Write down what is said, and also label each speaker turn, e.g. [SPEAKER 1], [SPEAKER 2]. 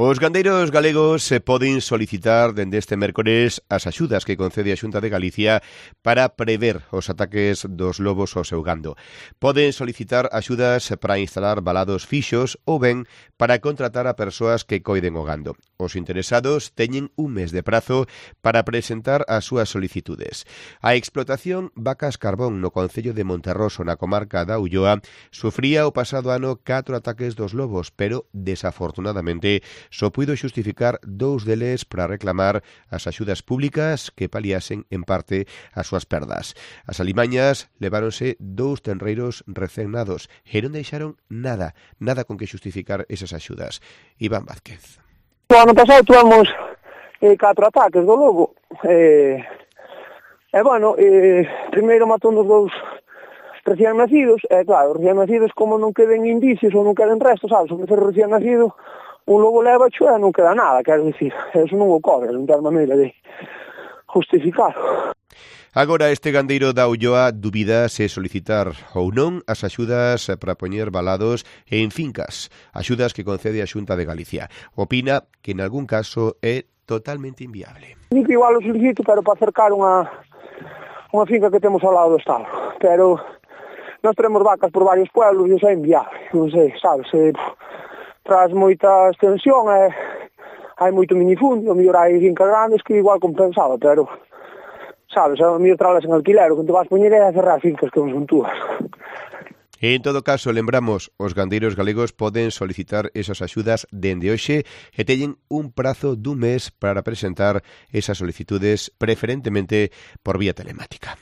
[SPEAKER 1] Os gandeiros galegos se poden solicitar dende este mércores as axudas que concede a Xunta de Galicia para prever os ataques dos lobos ao seu gando. Poden solicitar axudas para instalar valados fixos ou ben para contratar a persoas que coiden o gando. Os interesados teñen un mes de prazo para presentar as súas solicitudes. A explotación Vacas Carbón no concello de Monterroso, na comarca da Ulloa, sufría o pasado ano 4 ataques dos lobos, pero desafortunadamente só puido xustificar 2 deles para reclamar as axudas públicas que paliasen en parte as súas perdas. As alimañas leváronse 2 tenreiros recén nados e non deixaron nada con que xustificar esas axudas. Iván Vázquez.
[SPEAKER 2] O ano pasado tuvemos 4 ataques do lobo. Primeiro matou nos 2 recién nacidos, claro, recién nacidos como non queden indicios ou non queden restos, sabes, onde ser recién nacido, un lobo leva e non queda nada, quero dicir, eso non o cobre, non ten maneira de justificar.
[SPEAKER 1] Agora este gandeiro da Ulloa dubida se solicitar ou non as axudas para poñer valados en fincas, axudas que concede a Xunta de Galicia. Opina que en algún caso é totalmente inviable.
[SPEAKER 2] Digo que igual o solicito, pero para acercar unha finca que temos ao lado do estado, pero nós tenemos vacas por varios pueblos e iso é inviable, non sei, sabes, tras moita extensión hai moito minifundio, mellor hai fincas grandes que igual compensaba, pero sabes, a mellor tralas en alquiler, o que te vas poñer é a cerrar fincas que non son túas.
[SPEAKER 1] En todo caso, lembramos, os gandeiros galegos poden solicitar esas axudas dende hoxe e teñen un prazo dun mes para presentar esas solicitudes preferentemente por vía telemática.